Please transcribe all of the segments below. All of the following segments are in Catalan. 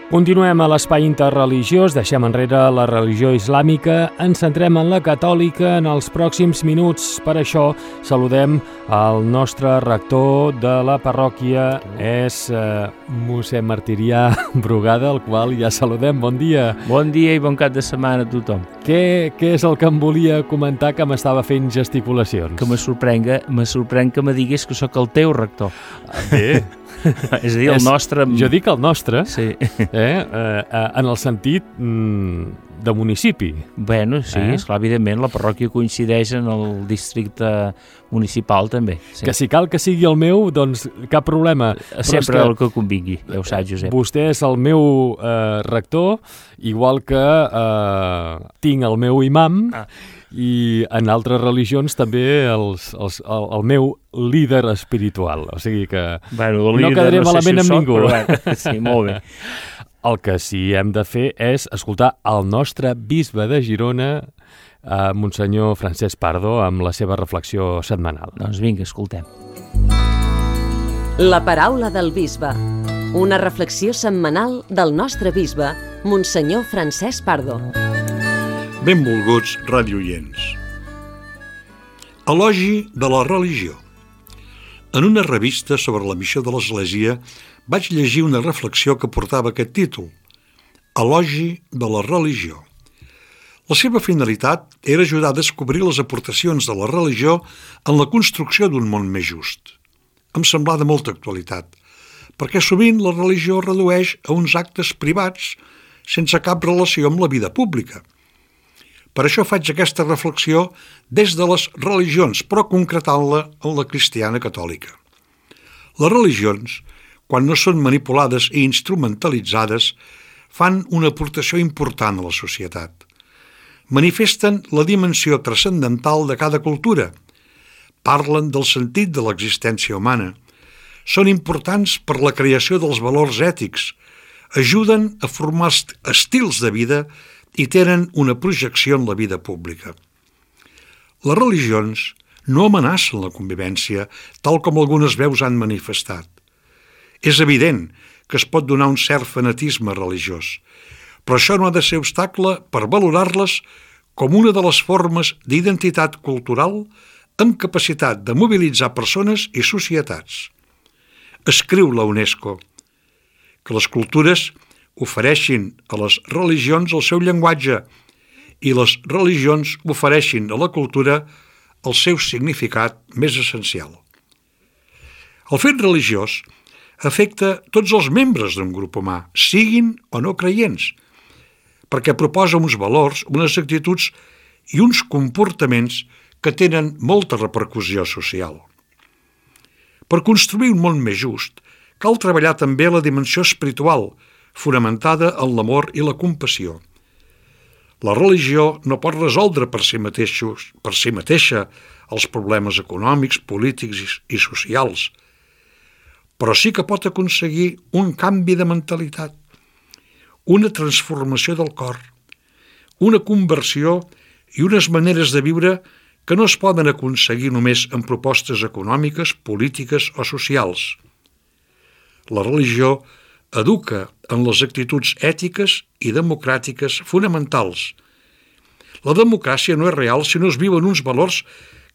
Continuem a l'espai interreligiós, deixem enrere la religió islàmica, ens centrem en la catòlica en els pròxims minuts. Per això saludem el nostre rector de la parròquia, és mossèn Martirià Brugada, el qual ja saludem. Bon dia. Bon dia i bon cap de setmana a tothom. Què és el que em volia comentar, que m'estava fent gesticulacions? Que me sorprèn que me digués que sóc el teu rector. Bé. És a dir, el nostre... Jo dic el nostre, sí. En el sentit de municipi. Bueno, sí, esclar, evidentment, la parròquia coincideix en el districte municipal també. Sí. Que si cal que sigui el meu, doncs cap problema. Sempre el que convingui, ja ho saps, Josep. Vostè és el meu rector, igual que tinc el meu imam, i en altres religions també el meu líder espiritual. O sigui que no quedaré malament amb ningú. Sí, molt bé. El que sí hem de fer és escoltar el nostre bisbe de Girona, Monsenyor Francesc Pardo, amb la seva reflexió setmanal. Doncs vinga, escoltem. La paraula del bisbe. Una reflexió setmanal del nostre bisbe, Monsenyor Francesc Pardo. Benvolguts radioients. Elogi de la religió. En una revista sobre la missió de l'Església vaig llegir una reflexió que portava aquest títol: Elogi de la religió. La seva finalitat era ajudar a descobrir les aportacions de la religió en la construcció d'un món més just. Em semblà de molta actualitat, perquè sovint la religió redueix a uns actes privats sense cap relació amb la vida pública. Per això faig aquesta reflexió des de les religions, però concretant-la en la cristiana catòlica. Les religions, quan no són manipulades i instrumentalitzades, fan una aportació important a la societat. Manifesten la dimensió transcendental de cada cultura, parlen del sentit de l'existència humana, són importants per la creació dels valors ètics, ajuden a formar estils de vida i tenen una projecció en la vida pública. Les religions no amenacen la convivència, tal com algunes veus han manifestat. És evident que es pot donar un cert fanatisme religiós, però això no ha de ser obstacle per valorar-les com una de les formes d'identitat cultural amb capacitat de mobilitzar persones i societats. Escriu la UNESCO que les cultures ofereixin a les religions el seu llenguatge i les religions ofereixin a la cultura el seu significat més essencial. El fet religiós afecta tots els membres d'un grup humà, siguin o no creients, perquè proposa uns valors, unes actituds i uns comportaments que tenen molta repercussió social. Per construir un món més just, cal treballar també la dimensió espiritual, fonamentada en l'amor i la compassió. La religió no pot resoldre per si mateixa els problemes econòmics, polítics i socials, però sí que pot aconseguir un canvi de mentalitat, una transformació del cor, una conversió i unes maneres de viure que no es poden aconseguir només amb propostes econòmiques, polítiques o socials. La religió educa en les actituds ètiques i democràtiques fonamentals. La democràcia no és real si no es viuen uns valors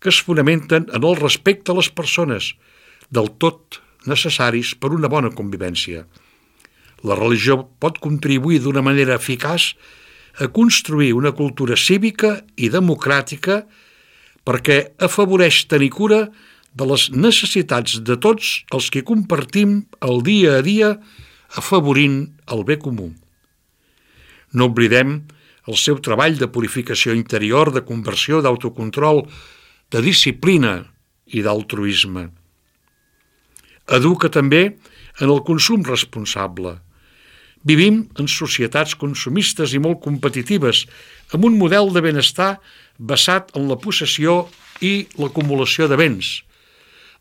que es fonamenten en el respecte a les persones, del tot necessaris per una bona convivència. La religió pot contribuir d'una manera eficaç a construir una cultura cívica i democràtica perquè afavoreix tenir cura de les necessitats de tots els que compartim el dia a dia afavorint el bé comú. No oblidem el seu treball de purificació interior, de conversió, d'autocontrol, de disciplina i d'altruisme. Educa també en el consum responsable. Vivim en societats consumistes i molt competitives, amb un model de benestar basat en la possessió i l'acumulació de béns.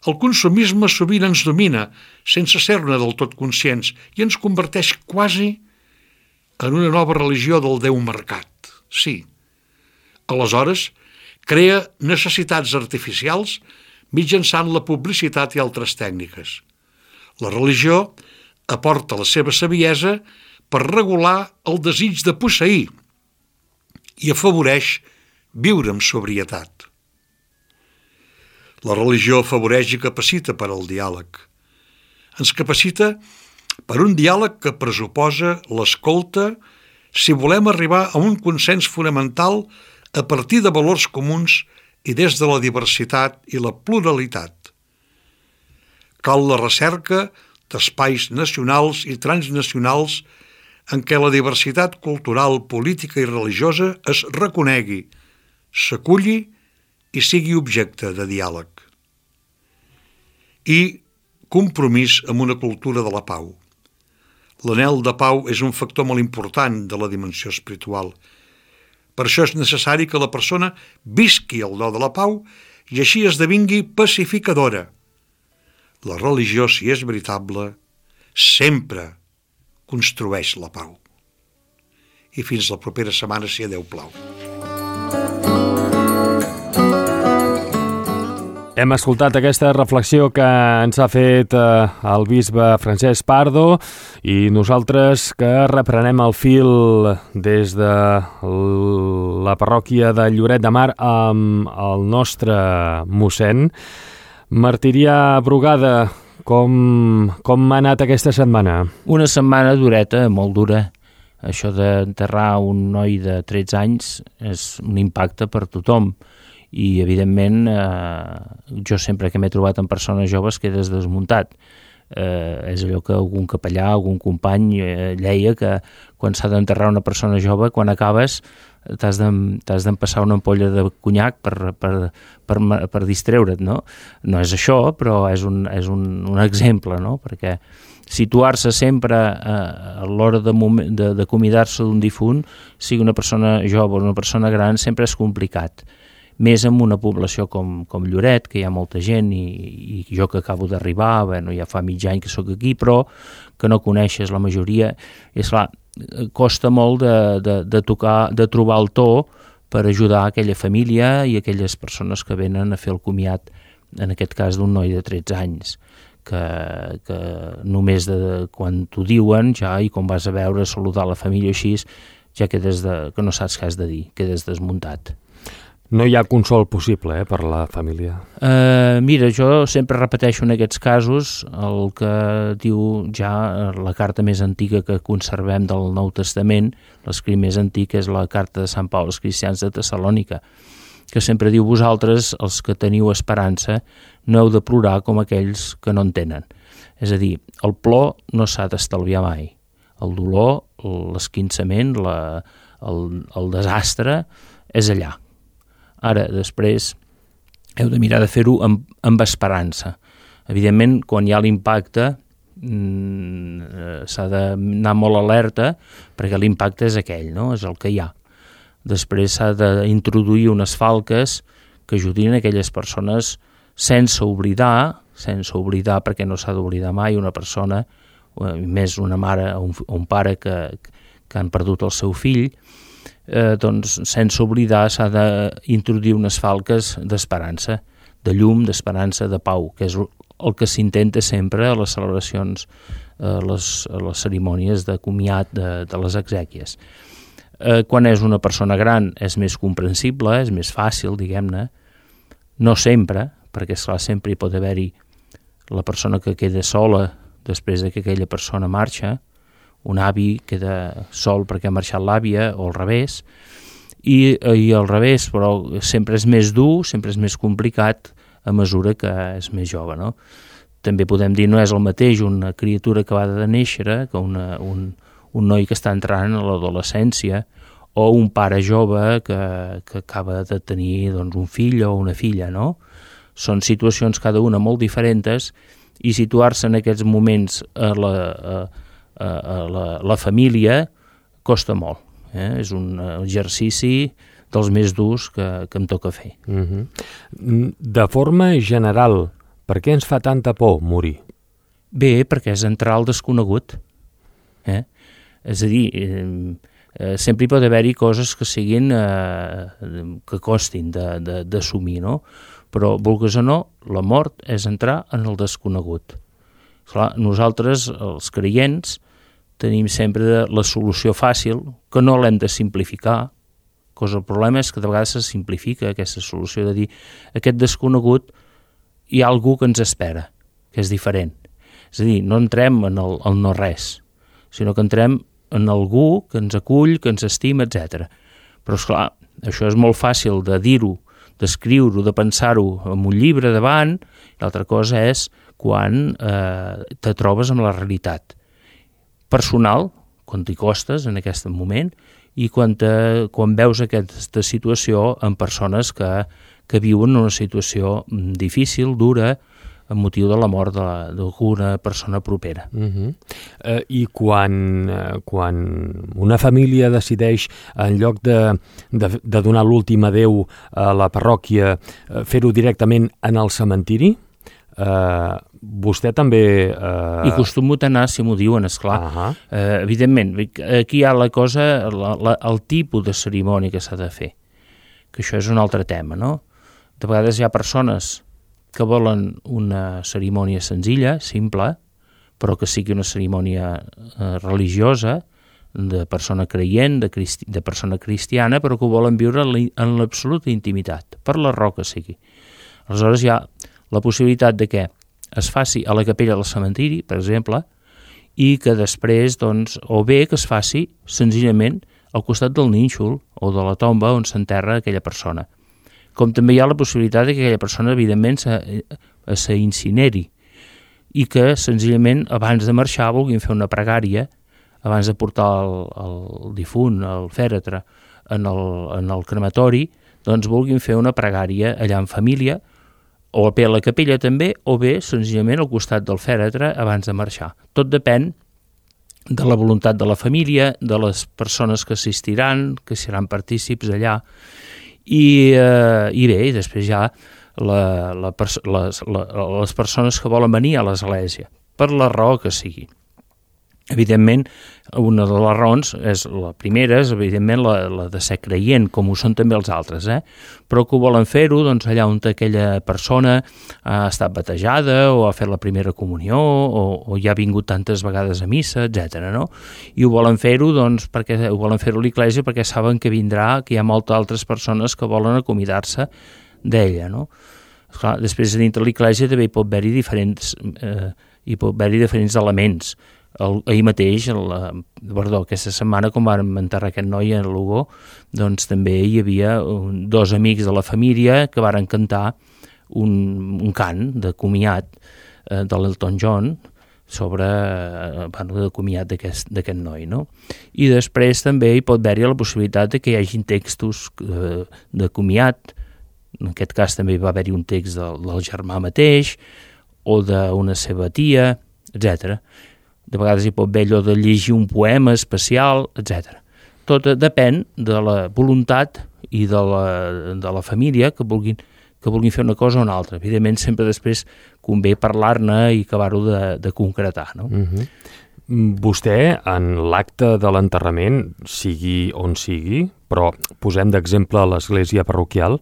El consumisme sovint ens domina, sense ser-ne del tot conscients, i ens converteix quasi en una nova religió del Déu mercat. Sí. Aleshores, crea necessitats artificials mitjançant la publicitat i altres tècniques. La religió aporta la seva saviesa per regular el desig de posseir i afavoreix viure amb sobrietat. La religió afavoreix i capacita per al diàleg. Ens capacita per un diàleg que pressuposa l'escolta si volem arribar a un consens fonamental a partir de valors comuns i des de la diversitat i la pluralitat. Cal la recerca d'espais nacionals i transnacionals en què la diversitat cultural, política i religiosa es reconegui, s'aculli i sigui objecte de diàleg. I compromís amb una cultura de la pau. L'anhel de pau és un factor molt important de la dimensió espiritual. Per això és necessari que la persona visqui el do de la pau i així esdevingui pacificadora. La religió, si és veritable, sempre construeix la pau. I fins la propera setmana, si a Déu plau. Hem escoltat aquesta reflexió que ens ha fet el bisbe Francesc Pardo i nosaltres que reprenem el fil des de la parròquia de Lloret de Mar amb el nostre mossèn. Martirià Brugada, com ha anat aquesta setmana? Una setmana dureta, molt dura. Això d'enterrar un noi de 13 anys és un impacte per tothom. I, evidentment, jo sempre que m'he trobat amb persones joves quedes desmuntat. És allò que algun capellà, algun company lleia que quan s'ha d'enterrar una persona jove, quan acabes t'has d'empassar una ampolla de conyac per distreure't, no? No és això, però és un exemple, no? Perquè situar-se sempre a l'hora d'acomiadar-se d'un difunt, sigui una persona jove o una persona gran, sempre és complicat. Més en una població com Lloret, que hi ha molta gent, i jo que acabo d'arribar, ja fa mig any que sóc aquí, però que no coneixes la majoria, és clar, costa molt de trobar el to per ajudar aquella família i aquelles persones que venen a fer el comiat, en aquest cas d'un noi de 13 anys, que només quan t'ho diuen ja, i quan vas a veure, saludar la família així, ja quedes que no saps què has de dir, quedes desmuntat. No hi ha consol possible per la família? Mira, jo sempre repeteixo en aquests casos el que diu ja la carta més antiga que conservem del Nou Testament, l'escrit més antic és la carta de Sant Pau als cristians de Tessalònica, que sempre diu: vosaltres, els que teniu esperança, no heu de plorar com aquells que no en tenen. És a dir, el plor no s'ha d'estalviar mai. El dolor, l'esquinçament, el desastre és allà. Ara, després, heu de mirar de fer-ho amb esperança. Evidentment, quan hi ha l'impacte, s'ha d'anar molt alerta, perquè l'impacte és aquell, no? És el que hi ha. Després s'ha d'introduir unes falques que ajudin a aquelles persones sense oblidar, perquè no s'ha d'oblidar mai una persona, més una mare o un pare que han perdut el seu fill, doncs sense oblidar s'ha d'introduir unes falques d'esperança, de llum, d'esperança, de pau, que és el que s'intenta sempre a les celebracions, a les cerimònies de comiat de les exèquies. Quan és una persona gran és més comprensible, és més fàcil, diguem-ne, no sempre, perquè esclar, sempre hi pot haver-hi la persona que queda sola després que aquella persona marxa, un avi queda sol perquè ha marxat l'àvia, o al revés, i al revés, però sempre és més dur, sempre és més complicat a mesura que és més jove, no? També podem dir, no és el mateix una criatura que va de néixer que un noi que està entrant a l'adolescència, o un pare jove que acaba de tenir un fill o una filla, no? Són situacions cada una molt diferents, i situar-se en aquests moments a la família costa molt. És un exercici dels més durs que em toca fer. De forma general, per què ens fa tanta por morir? Bé, perquè és entrar al desconegut. És a dir, sempre hi pot haver-hi coses que siguin que costin d'assumir, no? Però, vulguis o no, la mort és entrar en el desconegut. Clar, nosaltres, els creients, tenim sempre la solució fàcil, que no l'hem de simplificar, el problema és que de vegades se simplifica aquesta solució de dir aquest desconegut hi ha algú que ens espera, que és diferent. És a dir, no entrem en el no res, sinó que entrem en algú que ens acull, que ens estima, etc. Però, esclar, això és molt fàcil de dir-ho, d'escriure-ho, de pensar-ho en un llibre davant, i l'altra cosa és quan te trobes amb la realitat personal, quan t'hi costes en aquest moment, i quan veus aquesta situació en persones que viuen una situació difícil, dura, amb motiu de la mort d'alguna persona propera. I quan una família decideix, en lloc de donar l'últim adéu a la parròquia, fer-ho directament en el cementiri, vostè també... I acostumo a anar, si m'ho diuen, esclar. Evidentment, aquí hi ha la cosa, el tipus de cerimònia que s'ha de fer, que això és un altre tema, no? De vegades hi ha persones que volen una cerimònia senzilla, simple, però que sigui una cerimònia religiosa, de persona creient, de persona cristiana, però que ho volen viure en l'absoluta intimitat, per la raó que sigui. Aleshores hi ha la possibilitat de que es faci a la capella del cementiri, per exemple, i que després, doncs, o bé que es faci senzillament al costat del nínxol o de la tomba on s'enterra aquella persona. Com també hi ha la possibilitat que aquella persona, evidentment, s'incineri i que, senzillament, abans de marxar, vulguin fer una pregària, abans de portar el difunt, el fèretre, en el crematori, doncs vulguin fer una pregària allà en família, o bé a la capella també, o bé, senzillament, al costat del fèretre abans de marxar. Tot depèn de la voluntat de la família, de les persones que assistiran, que seran partícips allà, i bé, i després hi ha les persones que volen venir a l'església, per la raó que sigui. Evidentment, una de les raons, la primera és evidentment la de ser creient, com ho són també els altres, però que ho volen fer-ho doncs, allà on aquella persona ha estat batejada o ha fet la primera comunió o ja ha vingut tantes vegades a missa, etc. No? I ho volen fer-ho doncs, perquè ho volen fer-ho a l'església perquè saben que vindrà, que hi ha moltes altres persones que volen acomiadar-se d'ella. No? Esclar, després, dintre l'església també hi pot haver-hi diferents elements. Ahir mateix, aquesta setmana, quan vam enterrar aquest noi a Lugo, doncs també hi havia dos amics de la família que varen cantar un cant de comiat de l'Elton John sobre de comiat d'aquest noi. No? I després també hi pot haver-hi la possibilitat de que hi hagi textos de comiat, en aquest cas també va haver-hi un text del germà mateix o d'una seva tia, etc. De vegades hi pot haver allò de llegir un poema especial, etc. Tot depèn de la voluntat i de la família que vulguin fer una cosa o una altra. Evidentment, sempre després convé parlar-ne i acabar-ho de concretar. No? Vostè, en l'acte de l'enterrament, sigui on sigui, però posem d'exemple l'església parroquial,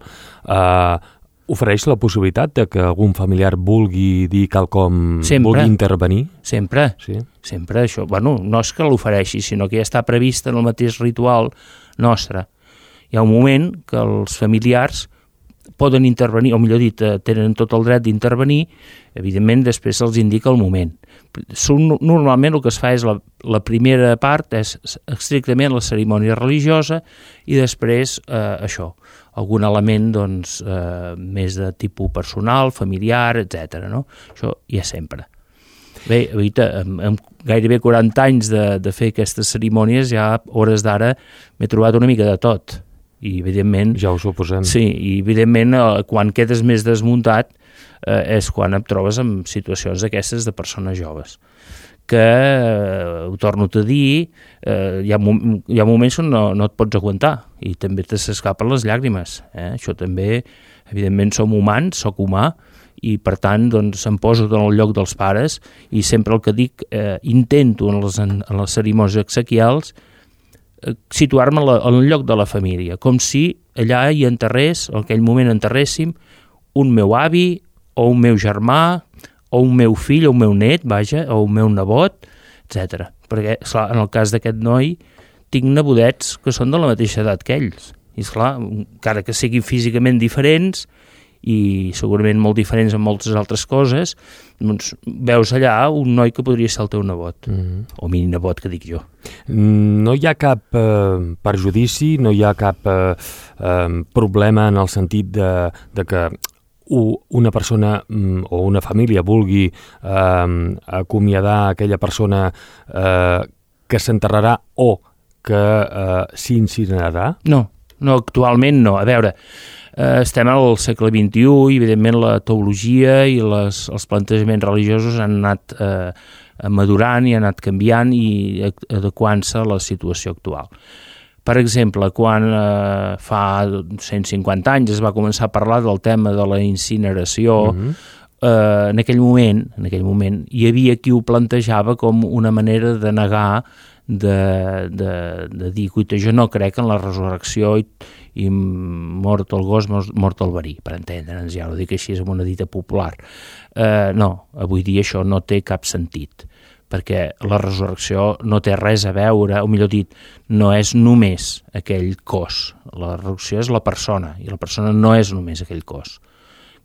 ofereix la possibilitat de que algun familiar vulgui dir quelcom, vulgui intervenir? Sempre, sí. Sempre això. Bueno, no és que l'ofereixi, sinó que ja està previst en el mateix ritual nostre. Hi ha un moment que els familiars poden intervenir, o millor dit, tenen tot el dret d'intervenir, evidentment després se'ls indica el moment. Normalment el que es fa és la primera part és estrictament la cerimònia religiosa i després això, algun element doncs, més de tipus personal, familiar, etc. No? Això hi ha sempre. Bé, amb gairebé 40 anys de fer aquestes cerimònies, ja a hores d'ara m'he trobat una mica de tot. I evidentment... Ja ho suposem. Sí, i evidentment quan quedes més desmuntat és quan et trobes en situacions d'aquestes de persones joves. Que, ho torno a dir, hi ha moments on no et pots aguantar i també te s'escapen les llàgrimes. Això també, evidentment, som humans, soc humà, i per tant doncs, em poso en el lloc dels pares i sempre el que dic, intento en les cerimònies exequials situar-me en el lloc de la família, com si allà hi enterrés, en aquell moment enterréssim, un meu avi o un meu germà o un meu fill o un meu net, vaja, o un meu nebot, etc. Perquè, esclar, en el cas d'aquest noi, tinc nebodets que són de la mateixa edat que ells. I, esclar, encara que siguin físicament diferents i segurament molt diferents en moltes altres coses, doncs veus allà un noi que podria ser el teu nebot, o mini nebot, que dic jo. No hi ha cap perjudici, no hi ha cap problema en el sentit de que una persona o una família vulgui acomiadar aquella persona que s'enterrarà o que s'incinerarà? No, actualment no. A veure, estem al segle XXI i, evidentment, la teologia i els plantejaments religiosos han anat madurant i han anat canviant i adequant-se a la situació actual. Per exemple, quan fa 150 anys es va començar a parlar del tema de la incineració, en aquell moment hi havia qui ho plantejava com una manera de negar, de dir, cuita, jo no crec en la resurrecció i mort el gos, mort el verí, per entendre'ns, ja ho dic així, és una dita popular. No, avui dia això no té cap sentit, perquè la resurrecció no té res a veure, o millor dit, no és només aquell cos. La resurrecció és la persona, i la persona no és només aquell cos,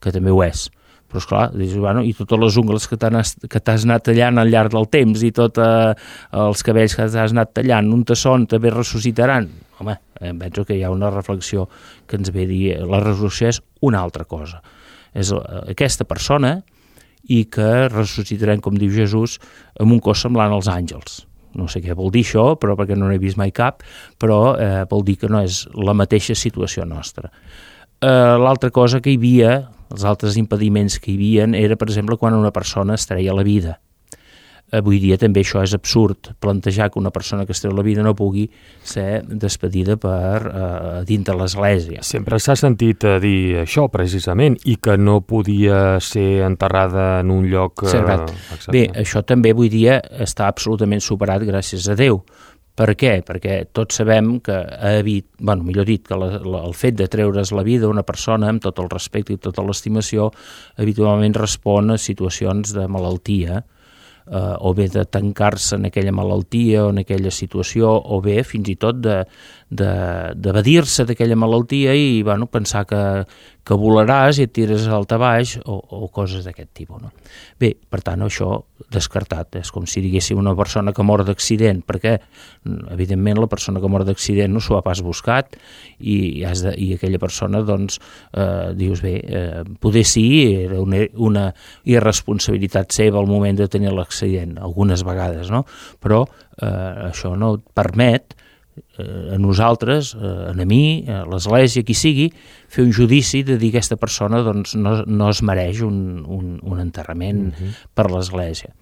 que també ho és. Però, esclar, dius, bueno, i totes les ungles que t'has anat tallant al llarg del temps i tots els cabells que t'has anat tallant, un tasson també ressuscitaran. Home, penso que hi ha una reflexió que ens ve a dir la resurrecció és una altra cosa. És aquesta persona i que ressuscitaran, com diu Jesús, amb un cos semblant als àngels. No sé què vol dir això, però perquè no n'he vist mai cap, però vol dir que no és la mateixa situació nostra. L'altra cosa que hi havia, els altres impediments que hi havia, era, per exemple, quan una persona es treia la vida. Avui dia també això és absurd, plantejar que una persona que es treu la vida no pugui ser despedida dins de l'església. Sempre s'ha sentit dir això, precisament, i que no podia ser enterrada en un lloc... Bé, això també avui dia està absolutament superat, gràcies a Déu. Per què? Perquè tots sabem que millor dit, que el fet de treure's la vida a una persona, amb tot el respecte i tota l'estimació, habitualment respon a situacions de malaltia, o bé de tancar-se en aquella malaltia o en aquella situació, o bé fins i tot d'evadir-se d'aquella malaltia i pensar que volaràs i et tires al baix o coses d'aquest tipus. No? Bé, per tant, això descartat. És com si diguéssim una persona que mor d'accident, perquè, evidentment, la persona que mor d'accident no s'ho ha pas buscat i aquella persona, doncs, dius, bé, poder sí, era una irresponsabilitat seva al moment de tenir l'accident, algunes vegades, no? Però això no et permet a nosaltres, a mi, a l'Església, qui sigui, fer un judici de dir que aquesta persona doncs, no es mereix un enterrament per l'Església.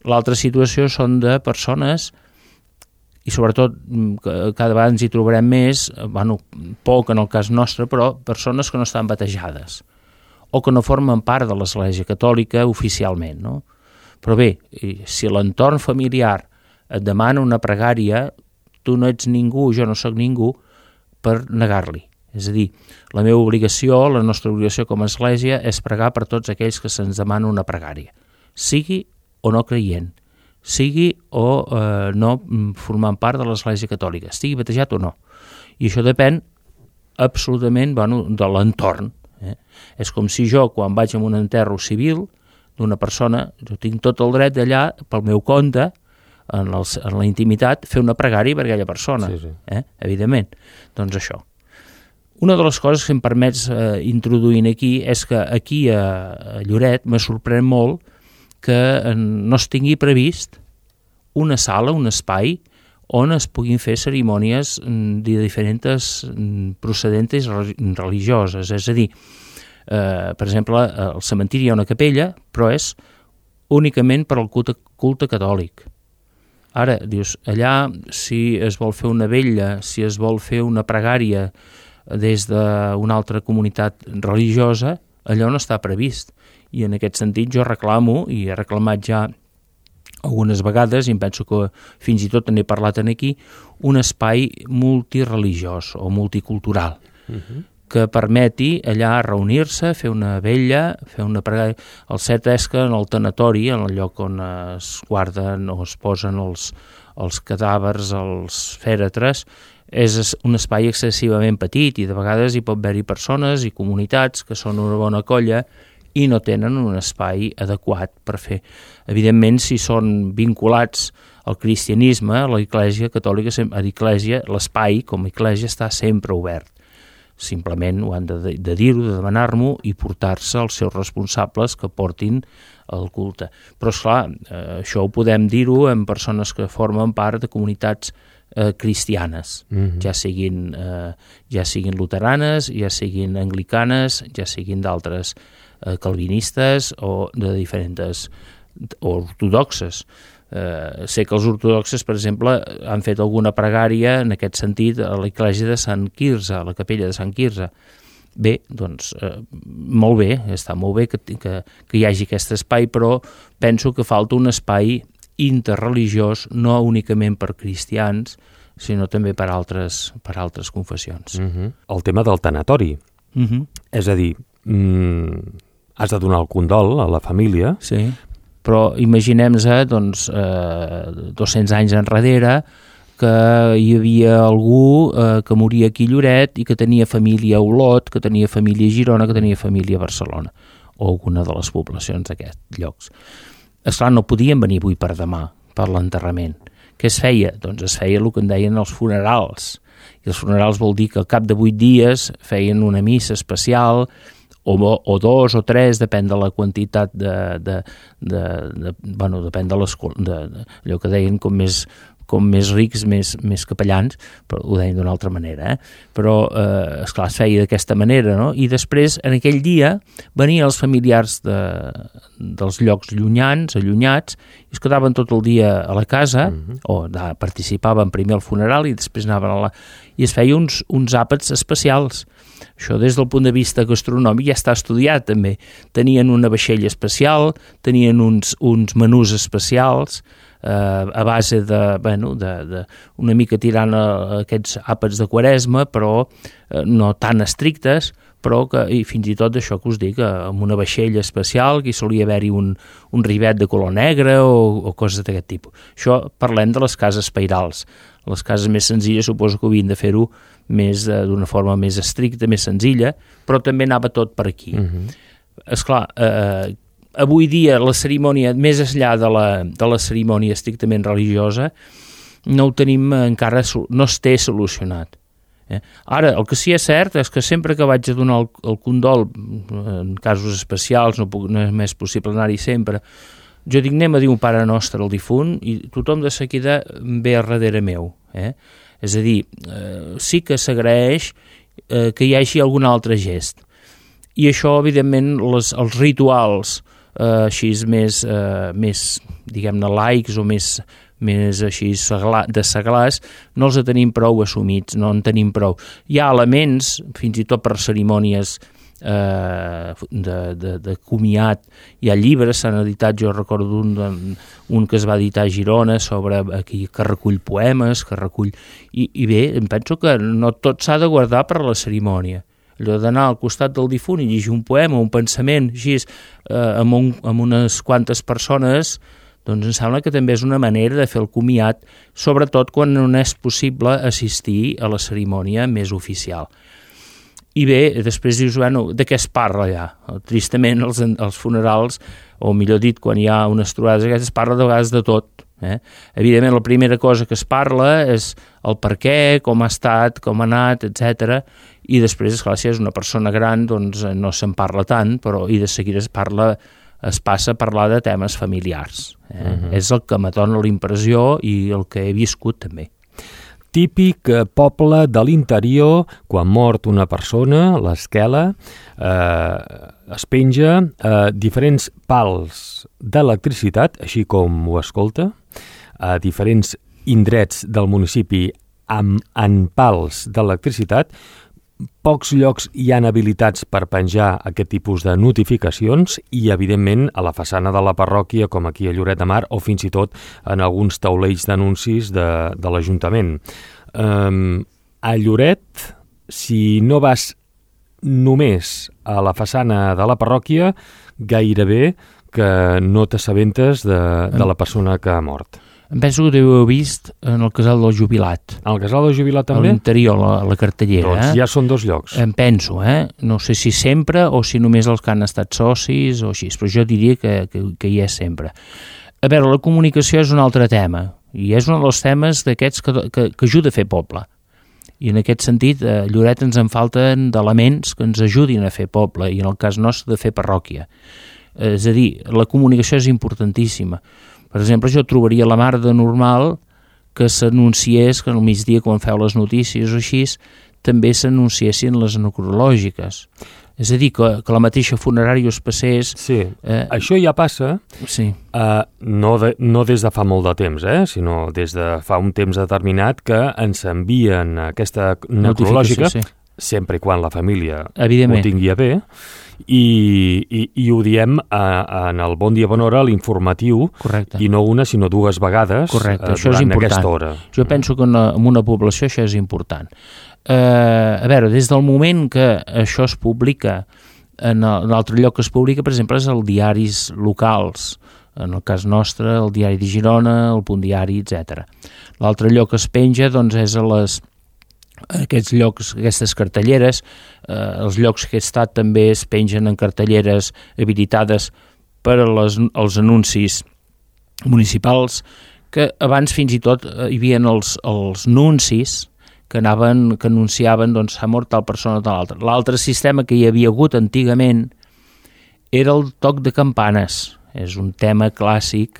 L'altra situació són de persones, i sobretot cada vegada ens hi trobarem més, poc en el cas nostre, però persones que no estan batejades o que no formen part de l'Església Catòlica oficialment. No? Però bé, si l'entorn familiar et demana una pregària, tu no ets ningú, jo no sóc ningú, per negar-li. És a dir, la meva obligació, la nostra obligació com a església és pregar per tots aquells que se'ns demana una pregària, sigui o no creient, sigui o no formant part de l'Església Catòlica, estigui batejat o no. I això depèn absolutament de l'entorn. És com si jo, quan vaig a un enterro civil d'una persona, jo tinc tot el dret d'allà, pel meu compte, en la intimitat, fer una pregària per aquella persona, evidentment. Doncs això. Una de les coses que em permets introduir aquí és que aquí a Lloret me sorprèn molt que no es tingui previst una sala, un espai, on es puguin fer cerimònies de diferents procedents religioses. És a dir, per exemple, al cementiri hi ha una capella, però és únicament per al culte catòlic. Ara, dius, allà, si es vol fer una vetlla, si es vol fer una pregària des d'una altra comunitat religiosa, allò no està previst. I en aquest sentit jo reclamo, i he reclamat ja algunes vegades, i em penso que fins i tot n'he parlat aquí, un espai multireligiós o multicultural, que permeti allà reunir-se, fer una vetlla, fer una pregària. El cert és que en el tanatori, en el lloc on es guarden o es posen els cadàvers, els fèretres, és un espai excessivament petit i de vegades hi pot haver-hi persones i comunitats que són una bona colla i no tenen un espai adequat per fer. Evidentment, si són vinculats al cristianisme, a l'Església Catòlica, a l'Església, l'espai com a Església està sempre obert. Simplement ho han de dir-ho, de demanar-m'ho i portar-se els seus responsables que portin el culte. Però, esclar, això ho podem dir-ho en persones que formen part de comunitats cristianes, ja siguin luteranes, ja siguin anglicanes, ja siguin d'altres calvinistes o de diferents o ortodoxes. Sé que els ortodoxes, per exemple, han fet alguna pregària en aquest sentit a l'església de Sant Quirze, a la capella de Sant Quirze. Bé, doncs, molt bé, està molt bé que hi hagi aquest espai, però penso que falta un espai interreligiós, no únicament per cristians, sinó també per altres confessions. El tema del tanatori. És a dir, has de donar el condol a la família. Sí, però imaginem-nos, doncs, 200 anys enrere, que hi havia algú que moria aquí a Lloret i que tenia família a Olot, que tenia família a Girona, que tenia família a Barcelona, o alguna de les poblacions d'aquests llocs. Esclar, no podien venir avui per demà, per l'enterrament. Què es feia? Doncs es feia el que en deien els funerals. I els funerals vol dir que al cap de 8 dies feien una missa especial, o 2 o 3, depèn de la quantitat depèn de allò que deien com més rics, més capellans, però ho deien d'una altra manera, però esclar, es feia d'aquesta manera, no? I després, en aquell dia, venien els familiars dels llocs allunyats, i es quedaven tot el dia a la casa, o participaven primer al funeral i després anaven i es feia uns àpats especials. Això des del punt de vista gastronòmic ja està estudiat també. Tenien una vaixella especial, tenien uns menús especials, a base una mica tirant a aquests àpats de Quaresma, però no tan estrictes, però i fins i tot això que us dic, amb una vaixella especial, que hi solia haver-hi un rivet de color negre o coses d'aquest tipus. Això parlem de les cases pairals. Les cases més senzilles suposo que havien de fer-ho d'una forma més estricta, més senzilla, però també anava tot per aquí. Esclar, avui dia la cerimònia, més enllà de la cerimònia estrictament religiosa, no ho tenim encara, no es té solucionat. Ara, el que sí és cert és que sempre que vaig a donar el condol, en casos especials, no és més possible anar-hi sempre, jo dic, anem a dir un Pare Nostre al difunt i tothom de seguida ve a darrere meu. És a dir, sí que s'agraeix que hi hagi algun altre gest. I això, evidentment, els rituals així més diguem-ne, laics o més així de seglars, no els tenim prou assumits, no en tenim prou. Hi ha elements, fins i tot per cerimònies de comiat, hi ha llibres, s'han editat, jo recordo un que es va editar a Girona sobre aquí, que recull poemes, que recull... I bé, em penso que no tot s'ha de guardar per a la cerimònia. Allò d'anar al costat del difunt i llegir un poema, un pensament, així, amb unes quantes persones, doncs em sembla que també és una manera de fer el comiat, sobretot quan no és possible assistir a la cerimònia més oficial. I bé, després dius, bueno, de què es parla ja? Tristament, els funerals, o millor dit, quan hi ha unes trobades aquestes, es parla de vegades de tot. Evidentment, la primera cosa que es parla és el per què, com ha estat, com ha anat, etc. I després, esclar, si és una persona gran, doncs no se'n parla tant, però i de seguida es passa a parlar de temes familiars. És el que me dona la impressió i el que he viscut també. Típic poble de l'interior, quan mort una persona, l'esquela, es penja diferents pals d'electricitat, així com ho escolta, a diferents indrets del municipi en pals d'electricitat. Pocs llocs hi han habilitats per penjar aquest tipus de notificacions i, evidentment, a la façana de la parròquia, com aquí a Lloret de Mar, o fins i tot en alguns taulells d'anuncis de l'Ajuntament. A Lloret, si no vas només a la façana de la parròquia, gairebé que no t'assabentes de la persona que ha mort. Em penso que ho heu vist en el casal del jubilat. Al casal del jubilat també? A l'interior, la cartellera. Doncs ja són 2 llocs. Em penso, No sé si sempre o si només els que han estat socis o així, però jo diria que hi és sempre. A veure, la comunicació és un altre tema, i és un dels temes d'aquests que ajuda a fer poble. I en aquest sentit, a Lloret ens en falten d'elements que ens ajudin a fer poble, i en el cas nostre de fer parròquia. És a dir, la comunicació és importantíssima. Per exemple, jo trobaria la mar de normal que s'anunciés, que al migdia, quan feu les notícies o així, també s'anunciessin les necrològiques. És a dir, que la mateixa funerària us passés... Sí, això ja passa, sí. No des de fa molt de temps, sinó des de fa un temps determinat que ens envien aquesta necrològica, sí. Sempre i quan la família ho tingui a bé, i ho diem en el Bon Dia, Bona Hora, l'informatiu, correcte. I no una, sinó 2 vegades durant aquesta hora. Jo penso que en una població això és important. A veure, des del moment que això es publica, en l'altre lloc que es publica, per exemple, és els diaris locals, en el cas nostre, el Diari de Girona, el Punt Diari, etc. L'altre lloc que es penja, doncs, és aquests llocs, aquestes cartelleres, els llocs que he estat també es pengen en cartelleres habilitades per als anuncis municipals, que abans fins i tot hi havia els nuncis que anunciaven, doncs, s'ha mort tal persona o tal altra. L'altre sistema que hi havia hagut antigament era el toc de campanes. És un tema clàssic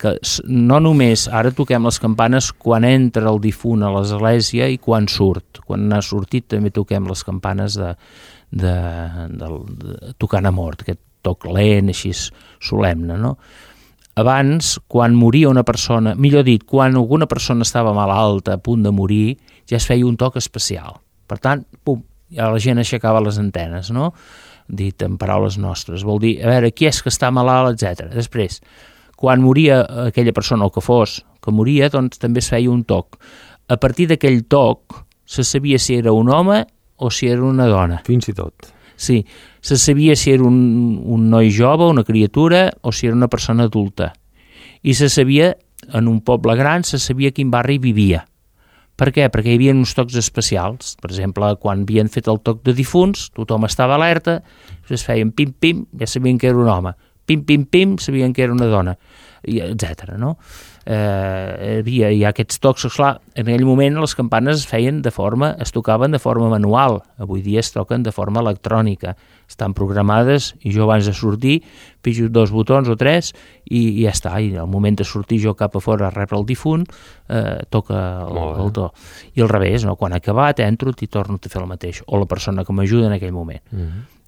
que no només ara toquem les campanes quan entra el difunt a l'església i quan surt. Quan n'ha sortit també toquem les campanes de tocant a mort, aquest toc lent, així solemne, no? Abans, quan moria una persona, millor dit, quan alguna persona estava malalta, a punt de morir, ja es feia un toc especial. Per tant, pum, ja la gent aixecava les antenes, no?, dit en paraules nostres, vol dir, a veure, qui és que està malalt, etc. Després, quan moria aquella persona, o que fos, que moria, doncs també es feia un toc. A partir d'aquell toc, se sabia si era un home o si era una dona. Fins i tot. Sí, se sabia si era un noi jove, una criatura, o si era una persona adulta. I se sabia, en un poble gran, se sabia quin barri vivia. Per què? Perquè hi havia uns tocs especials. Per exemple, quan havien fet el toc de difunts, tothom estava alerta, es feien pim-pim, ja sabien que era un home. Pim-pim-pim, sabien que era una dona, etc. No? Hi ha aquests tocs, esclar, en aquell moment les campanes es tocaven de forma manual, avui dia es toquen de forma electrònica, estan programades i jo abans de sortir pitjo 2 botons o 3 i ja està, i al moment de sortir jo cap a fora a rebre el difunt toca el to, i al revés, no? Quan ha acabat entro i torno a fer el mateix, o la persona que m'ajuda en aquell moment.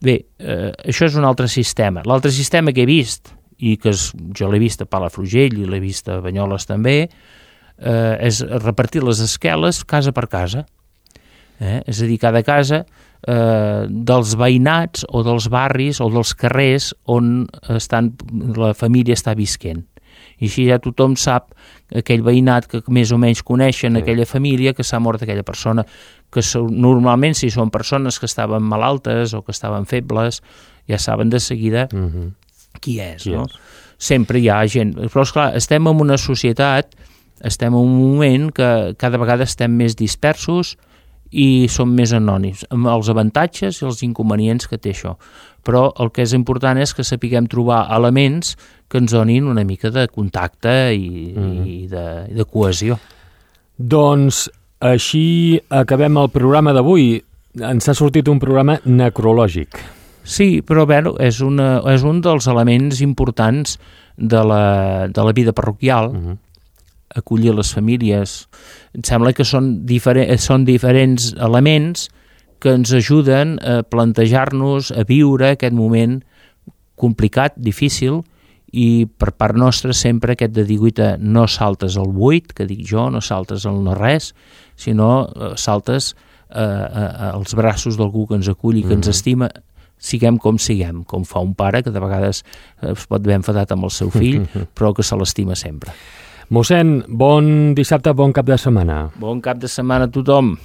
Bé, això és un altre sistema. L'altre sistema que he vist i que jo l'he vist a Palafrugell i l'he vist a Banyoles també, és repartir les esqueles casa per casa. És a dir, cada casa dels veïnats o dels barris o dels carrers on la família està visquent. I així ja tothom sap, aquell veïnat que més o menys coneixen aquella família, que s'ha mort aquella persona, que normalment si són persones que estaven malaltes o que estaven febles, ja saben de seguida qui és, no? Sempre hi ha gent, però esclar, estem en una societat, estem en un moment que cada vegada estem més dispersos i som més anònims, amb els avantatges i els inconvenients que té això. Però el que és important és que sapiguem trobar elements que ens donin una mica de contacte i de cohesió. Doncs així acabem el programa d'avui. Ens ha sortit un programa necrològic. Sí, però bé, és un dels elements importants de la vida parroquial, acollir les famílies. Em sembla que són diferents elements que ens ajuden a plantejar-nos, a viure aquest moment complicat, difícil, i per part nostra sempre aquest de dir, no saltes al buit, que dic jo, no saltes al no res, sinó saltes als braços d'algú que ens acull i que ens estima, siguem com siguem, com fa un pare que de vegades es pot haver enfadat amb el seu fill, però que se l'estima sempre. Mossèn, bon dissabte, bon cap de setmana. Bon cap de setmana a tothom.